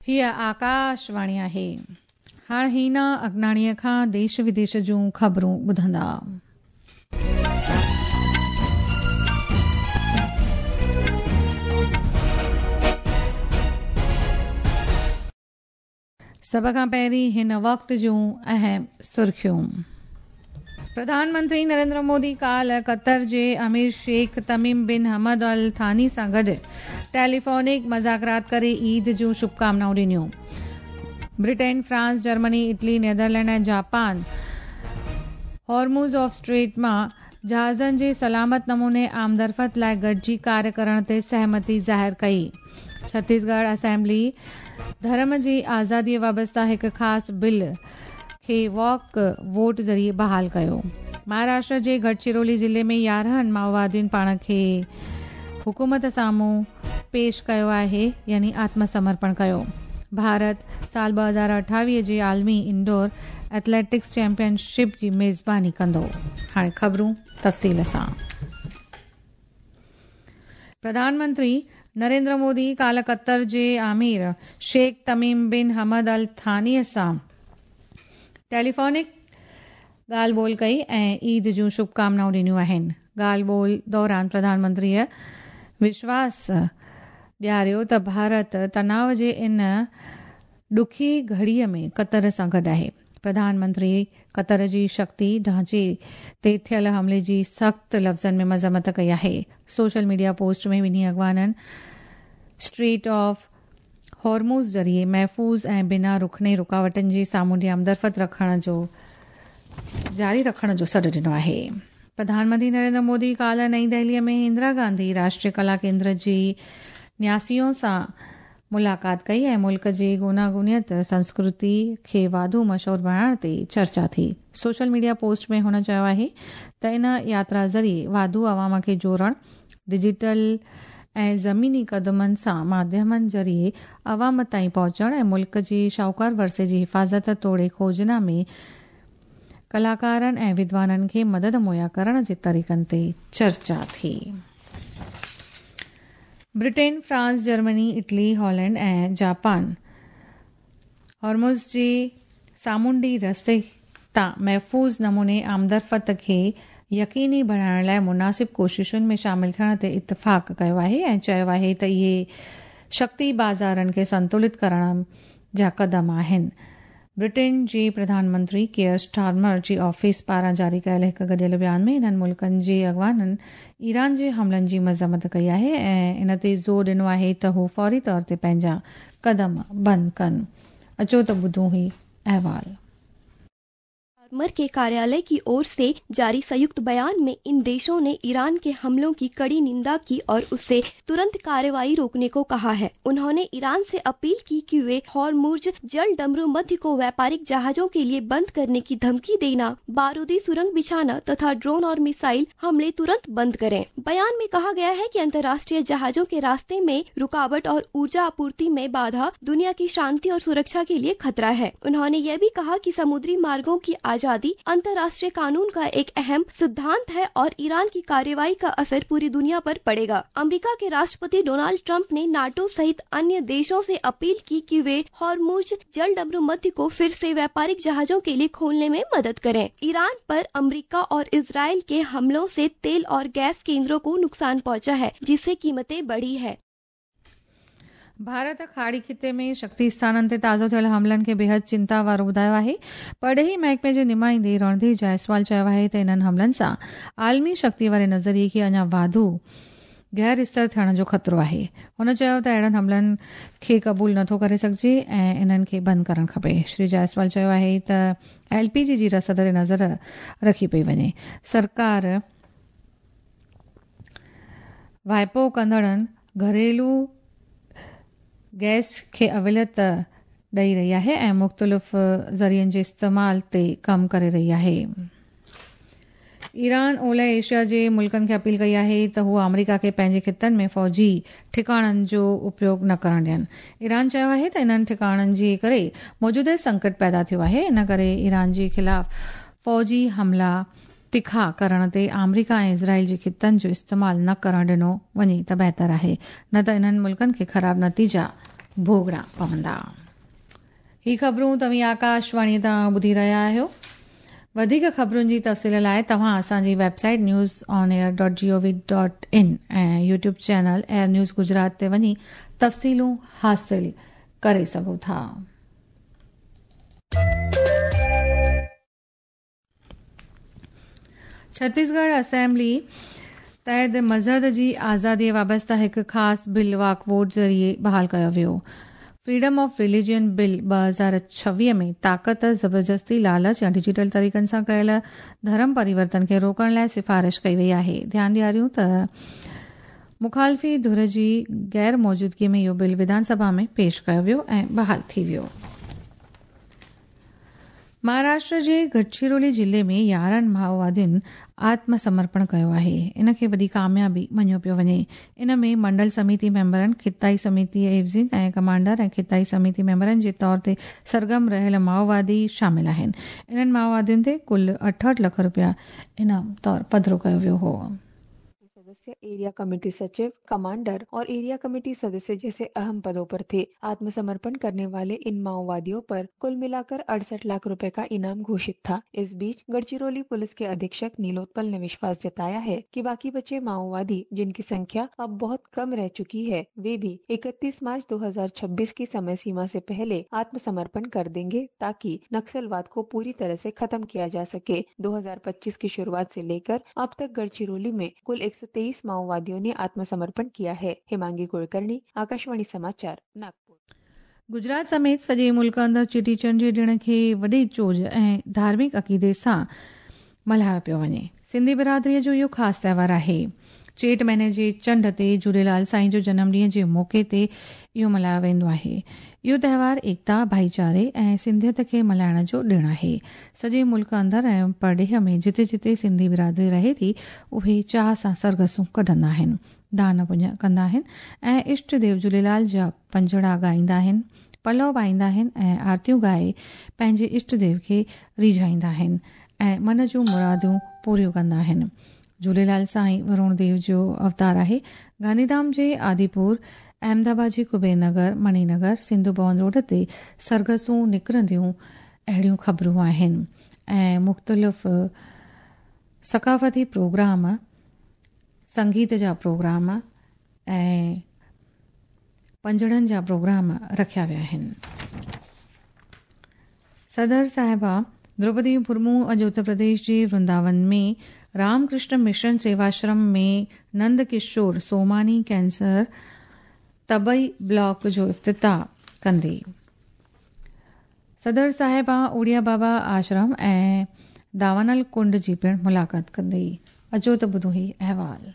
هيء آڪاشواڻي آهي. هاڻ هينا اگناڻيء کان ديش وديش جون خبرون ٻڌندا. سڀ کان پهرين هن وقت جون اهم سرخيون. پرڌان منتري نريندر مودي ڪالهه قطر جي امير شيخ تميم بن حمد الثاني سان گڏ ٽيليفونڪ مذاڪرات ڪري عيد جون شڀڪامنائون ڏنيون. Britain, France, Germany, Italy, Netherland ۽ Japan Hormuz of street مان جهازن جي سلامت نموني آمدرفت لاء گڏجي ڪاري ڪرڻ تي سهمتي ظاهر ڪئي. ڇتيسڳڙهه اسيمبلي ڌرم جي آزادي وابسته هڪ خاص بل کي واڪ ووٽ ذريعي بحال ڪيو. مهاراشٽر جي گڙچرولي ضلعي ۾ 11 مائووادين پاڻ کي حڪومت سامهون پيش ڪيو آهي يعني آتم سمرپڻ ڪيو. ڀارت سال 2028 جي عالمي انڊور ايٿليٽڪس چيمپيئن شپ جي ميزباني ڪندو. هاڻي خبرون تفصيل سان. پرڌان منتري نريندر مودي ڪالهه قطر جي امير شيخ تميم بن حمد الثاني سان ٽيليفونڪ ڳالهه ٻولهه ڪئي ۽ عيد جون شڀڪامنائون ڏنيون آهن. ڳالهه ٻولهه دوران پرڌان منتريء وشواس ڏياريو ته ڀارت تناءُ جي ان ڏکي گهڙيء ۾ قطر سان گڏ آهي. پرڌان منتري قطر جي شڪتي ڍانچي تي ٿيل حملي جي سخت لفظن ۾ مذمت ڪئي آهي. سوشل ميڊيا پوسٽ ۾ ٻنهي اڳواڻن اسٽريٽ آف هورموز ذريعي محفوظ ۽ بنا رخني رڪاوٽن جي سامونڊي آمدرفت رکڻ جو جاري رکڻ جو سڏ ڏنو آهي. پرڌان منتري نريندر مودي ڪالهه نئين دهليء ۾ اندرا گانڌي راشٽريه ڪلا ڪيندر جي نياسيون سان ملاقات ڪئي ۽ ملڪ جي گوناگونيت سنسڪرتي کي واڌو مشهور بڻائڻ تي چرچا ٿي. سوشل ميڊيا پوسٽ ۾ هن چيو آهي ته ان ياترا ذريعي واڌو عوام کي جوڙڻ، ڊجيٽل ۽ زميني قدمن سان ماڌيمن ذريعي عوام تائين پهچڻ ۽ ملڪ جي شاهوڪار ورثي جي حفاظت توڙي کوجنا ۾ ڪلاڪارن ۽ ودوانن کي مدد مهيا ڪرڻ جي طريقن تي چرچا ٿي. Britain, France, Germany, Italy, Holland ۽ Japan Hormuz جي سامونڊي رستي تان محفوظ نموني آمدرفت کي يقيني بڻائڻ لاء مناسب ڪوششن ۾ شامل ٿيڻ تي اتفاق ڪيو آهي ۽ چيو آهي ته اهي شڪتي بازارن کي سنتولت ڪرڻ جا قدم آهن. برٽين جي پرڌان منتري ڪيئر اسٽارمر جي آفيس پاران جاري ڪيل هڪ گڏيل بيان ۾ انهن ملڪن جي اڳواڻن ايران جي حملن جي مذمت ڪئي آهي ۽ ان تي زور ڏنو آهي ته هو فوري طور تي پنهنجا قدم بند ڪن. اچو ته ٻڌون هي احوال. स्टारमर के कार्यालय की ओर से जारी संयुक्त बयान में इन देशों ने ईरान के हमलों की कड़ी निंदा की और उसे तुरंत कार्रवाई रोकने को कहा है। उन्होंने ईरान से अपील की कि वे हॉर्मुज जल डमरू मध्य को व्यापारिक जहाजों के लिए बंद करने की धमकी देना, बारूदी सुरंग बिछाना तथा ड्रोन और मिसाइल हमले तुरंत बंद करें। बयान में कहा गया है कि अंतर्राष्ट्रीय जहाजों के रास्ते में रुकावट और ऊर्जा आपूर्ति में बाधा दुनिया की शांति और सुरक्षा के लिए खतरा है। उन्होंने यह भी कहा कि समुद्री मार्गों की आजादी अंतर्राष्ट्रीय कानून का एक अहम सिद्धांत है और ईरान की कार्रवाई का असर पूरी दुनिया पर पड़ेगा। अमेरिका के राष्ट्रपति डोनाल्ड ट्रंप ने नाटो सहित अन्य देशों से अपील की कि वे हॉर्मुज जल डमरू मध्य को फिर से व्यापारिक जहाजों के लिए खोलने में मदद करें। ईरान पर अमेरिका और इसराइल के हमलों से तेल और गैस केंद्रों को नुकसान पहुंचा है, जिससे कीमतें बढ़ी है। ڀارت کاڙي خطي ۾ شڪتي اسٿانن تي تازو ٿيل حملن کي بيحد چنتا وارو ٻڌايو آهي. پرڏيهي محڪمي جي نمائندي رڻڌير جائسوال چيو آهي ته انهن حملن سان عالمي شڪتي واري نظريي کي اڃا واڌو غير استر ٿيڻ جو خطرو آهي. هن چيو ته اهڙن حملن کي قبول نٿو ڪري سگهجي ۽ انهن کي بند ڪرڻ کپي. شري جائسوال چيو آهي ته ايل پي جي جي رسد تي نظر رکي پئي وڃي. سرڪار واهپو ڪندڙن گهريلو گئس کي اوليت ڏئي رهي آهي ۽ مختلف ذريعن جي استعمال تي ڪم ڪري رهي آهي. ايران اولهه ايشيا جي ملڪن کي اپيل ڪئي آهي ته هو آمريڪا کي پنهنجي خطن ۾ فوجي ٺڪاڻن جو اپيوگ نه ڪرڻ ڏين. ايران چيو آهي ته انهن ٺڪاڻن جي ڪري موجوده سنڪٽ پيدا ٿيو آهي، ان ڪري ايران جي خلاف فوجي حملا تکا ڪرڻ تي آمريڪا ۽ اسرائيل جي خطن جو استعمال نه ڪرڻ ڏنو وڃي ته بهتر آهي، نه ته انهن ملڪن کي خراب نتيجا ڀوڳڻا پوندا. هي خبرون توهين آڪاشواڻي تان ٻڌي رهيا آهيو. وڌيڪ خبرن جي تفصيل لاء توهان اسان جي website news on air dot G O V dot in ۽ YouTube channel air news Gujarat تي وڃي تفصيلون حاصل ڪري سگهو ٿا. ڇتيسڳڙهه اسيمبلي تحت مذهب جي آزادي وابسته هڪ خاص بل واڪ ووٽ ذريعي بحال ڪيو ويو. فريڊم آف رليجن بل 2026 ۾ طاقت، زبردستي، لالچ يا ڊجيٽل طريقن سان ڪيل ڌرم پريورتن کي روڪڻ لاء سفارش ڪئي وئي آهي. ڌيان ڏياريون ته مخالفي ڌر جي غير موجودگي ۾ اهو بل وڌان سڀا ۾ پيش ڪيو ويو ۽ بحال ٿي ويو. مهاراشٽر جي گڊچرولي ضلعي ۾ 11 مائووادين آتم سمرپڻ ڪيو آهي. ان کي وڏي ڪاميابي مڃيو پيو وڃي. ان ۾ منڊل سميتي ميمبرن، خطائي سميتي عيوضين ۽ ڪمانڊر ۽ خطائي سميتي ميمبرن جي طور تي سرگرم رهيل مائووادي شامل آهن. انهن مائووادين تي ڪل 68 لک رپيا انعام طور پڌرو ڪيو ويو هو. सदस्य एरिया कमेटी सचिव, कमांडर और एरिया कमेटी सदस्य जैसे अहम पदों पर थे। आत्मसमर्पण करने वाले इन माओवादियों पर कुल मिलाकर 68 लाख रुपए का इनाम घोषित था। इस बीच गढ़चिरौली पुलिस के अधीक्षक नीलोत्पल ने विश्वास जताया है कि बाकी बचे माओवादी, जिनकी संख्या अब बहुत कम रह चुकी है, वे भी 31 मार्च 2026 की समय सीमा से पहले आत्मसमर्पण कर देंगे ताकि नक्सलवाद को पूरी तरह से खत्म किया जा सके। 2025 की शुरुआत से लेकर अब तक गढ़चिरौली में कुल 123 माओवादियों ने आत्मसमर्पण किया है। हेमांगी कुलकर्णी, आकाशवाणी समाचार, नागपुर। गुजरात समेत सॼे मुल्क अंदरि चेटीचंड जे ॾिण खे वॾे चोज ऐं धार्मिक अक़ीदे सां मल्हायो पियो वञे। सिंधी बिरादरीअ जो इहो ख़ासि त्योहार आहे। चेट महीने जे चंड ते झूलेलाल साईं जो जनम ॾींहं जे मौक़े ते इहो मल्हायो वेंदो आहे। इहो त्योहार एकता, भाईचारे ऐं सिंधियत खे मल्हाइण जो ॾिण आहे। सॼे मुल्क अंदरि ऐं परॾेह में जिते जिते सिंधी बिरादरी रहे थी, उहे चाह सां सरगसूं कढंदा आहिनि, दान पुञ कंदा आहिनि ऐं इष्ट देव झूलेलाल जा पंजड़ा ॻाईंदा आहिनि, पलव पाईंदा आहिनि ऐं आरतियूं ॻाए पंहिंजे इष्ट देव खे रिझाईंदा आहिनि ऐं मन जूं मुरादूं पूरियूं कंदा आहिनि। झूलेलाल साईं वरुण देव जो अवतार आहे। गांधीधाम जे आदिपुर, अहमदाबाद जे कुबेर नगर, मणिनगर, सिंधु भवन रोड ते सरगसूं निकिरंदियूं अहिड़ियूं ख़बरूं आहिनि ऐं मुख़्तलिफ़ सकाफ़ती प्रोग्राम, संगीत जा प्रोग्राम ऐं पंजड़नि जा प्रोग्राम रखिया विया आहिनि। सदर साहिबा द्रौपदी मुर्मू अॼु उत्तर प्रदेश जे वृंदावन में रामकृष्ण मिशन सेवाश्रम में नंद किशोर सोमानी कैंसर तबई ब्लॉक जो इफ्तिताह कंदी। सदर साहिबा उड़िया बाबा आश्रम ऐं दावानल कुंड जी पिणु मुलाक़ात कंदी। अचो त ॿुधो ही अहवाल।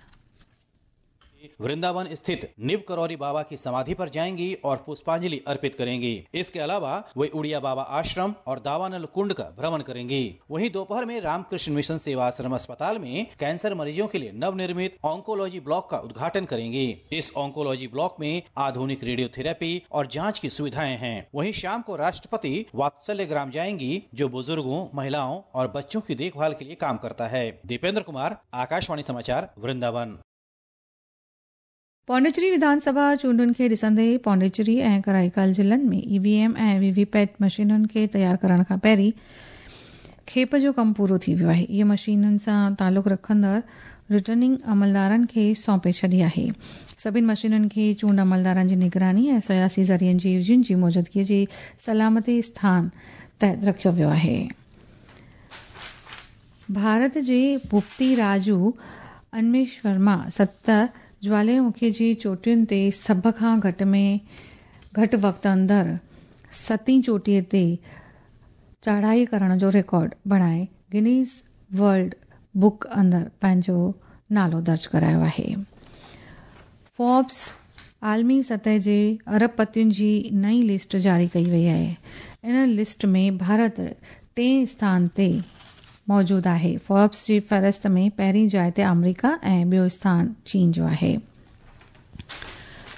वृंदावन स्थित निब करौरी बाबा की समाधि पर जाएंगी और पुष्पांजलि अर्पित करेंगी। इसके अलावा वे उड़िया बाबा आश्रम और दावानल कुंड का भ्रमण करेंगी। वहीं दोपहर में रामकृष्ण मिशन सेवा आश्रम अस्पताल में कैंसर मरीजों के लिए नवनिर्मित ऑन्कोलॉजी ब्लॉक का उद्घाटन करेंगी। इस ऑन्कोलॉजी ब्लॉक में आधुनिक रेडियोथेरेपी और जाँच की सुविधाएं हैं। वहीं शाम को राष्ट्रपति वात्सल्य ग्राम जाएंगी, जो बुजुर्गों, महिलाओं और बच्चों की देखभाल के लिए काम करता है। दीपेंद्र कुमार, आकाशवाणी समाचार, वृंदावन। पौंडीचेरी विधानसभा चूंडुनि खे ॾिसंदे पौंडीचेरी ऐं कराईकाल ज़िलनि में ईवीएम ऐं वीवीपैट मशीनुनि खे तयारु करण खां पहिरीं खेप जो कमु पूरो थी वियो आहे। इहे मशीनुनि सां तालुक़ रखंदड़ रिटर्निंग अमलदारनि खे सौंपे छॾी आहे। सभिनी मशीनुनि खे चूंड अमलदारनि जी निगरानी ऐं सियासी ज़रियनि जी एवज़ियुनि जी मौजूदगीअ जे सलामती स्थान तहत रखियो वियो आहे। भारत जे भूपति राजू अनमेश वर्मा 7 ज्वालामुखी जी चोटियुनि ते सभ खां घटि में घटि वक़्त अंदरि सतीं चोटीअ ते चढ़ाई करण जो रिकॉर्ड बणाए गिनीज वर्ल्ड बुक अंदरि पंहिंजो नालो दर्ज करायो आहे। फोर्ब्स आलमी सतह जे अरबपतियुनि जी नई लिस्ट जारी कई वई आहे। इन लिस्ट में भारत टें स्थान ते मौजूदु आहे। फोर्ब्स जी फ़हरिस्त में पहिरीं जाइ ते आमेरिका ऐं ॿियो स्थान चीन जो आहे।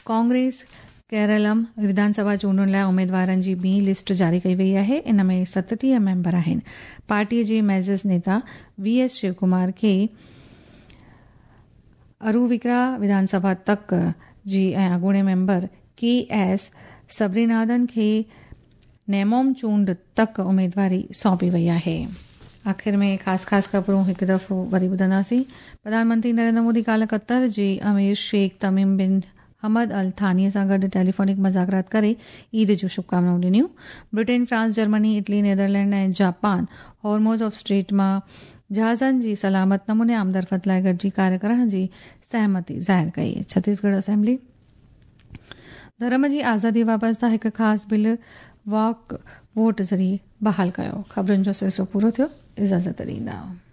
कांग्रेस केरलम विधानसभा चूंडुनि लाइ उमेदवारनि जी ॿी लिस्ट जारी कई वई आहे। इन में 37 मेंबर आहिनि। पार्टीअ जे मेज़ नेता वी.एस. शिवकुमार खे अरुविक्रा विधानसभा तक जी ऐं अॻूणे मेंबर के.एस. سبريناٿن کي نيموم چونڊ تڪ اميدواري سونپي وئي آهي. آخر ۾ خاص خاص خبرون هڪ دفعو وري ٻڌنداسين. پرڌان منتري نريندر مودي ڪالهه قطر جي امير شيخ تميم بن حمد ال ثاني سان گڏ ٽيليفونڪ مذاڪرات ڪري عيد جون شڀڪامنائون ڏنيون. Britain, France, Germany, Italy, Netherland ۽ Japan Hormuz of strait مان جهازن جي سلامت نموني آمدرفت لاء گڏجي ڪاريه ڪرڻ جي سهمتي ظاهر ڪئي. ڇتيسڳڙهه اسيمبلي ڌرم جي آزادي وابسته هڪ خاص بل واڪ ووٽ ذريعي بحال ڪيو. خبرن جو سلسلو پورو ٿيو. اجازت ڏيندا.